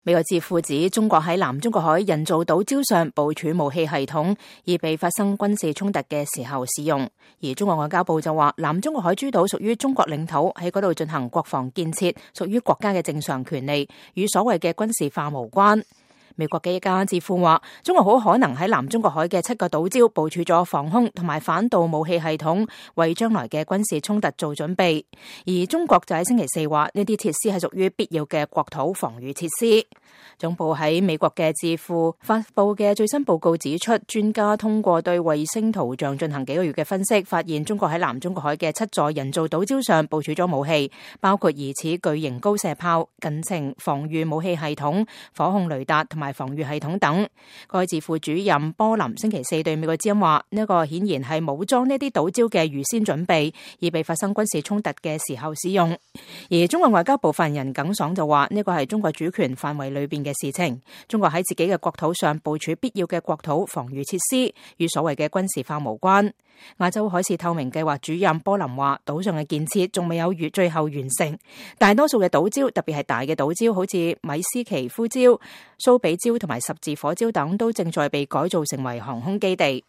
美國智庫指中國喺南中國海人造島礁上部署武器系統，以備發生軍事衝突嘅時候使用。而中國外交部就話，南中國海諸島屬於中國領土，喺嗰度進行國防建設，屬於國家嘅正常權利，與所謂嘅軍事化無關。美國嘅一家智庫話，中國好可能喺南中國海嘅7個島礁部署咗防空同埋反導武器系統，為將來嘅軍事衝突做準備。而中國就喺星期四話，呢啲設施係屬於必要嘅國土防禦設施。總部喺美國嘅智庫發布嘅最新報告指出，專家通過對衛星圖像進行幾個月嘅分析，發現中國喺南中國海嘅7座人造島礁上部署咗武器，包括疑似巨型高射炮、近程防禦武器系統、火控雷達同埋防禦系統等。該智庫主任波林星期四對美國之音話，呢個顯然係武裝呢啲島礁嘅預先準備，以備發生軍事衝突嘅時候使用。而中國外交部發言人耿爽就話，呢個係中國主權範圍裏邊嘅事情，中國喺自己嘅國土上部署必要嘅國土防禦設施，與所謂嘅軍事化無關。亞洲海事透明計劃主任波林話，島上嘅建設仲未有最後完成，大多數嘅島礁，特別係大嘅島礁，好似米斯奇夫礁、蘇比礁同埋十字火礁等，都正在被改造成為航空基地。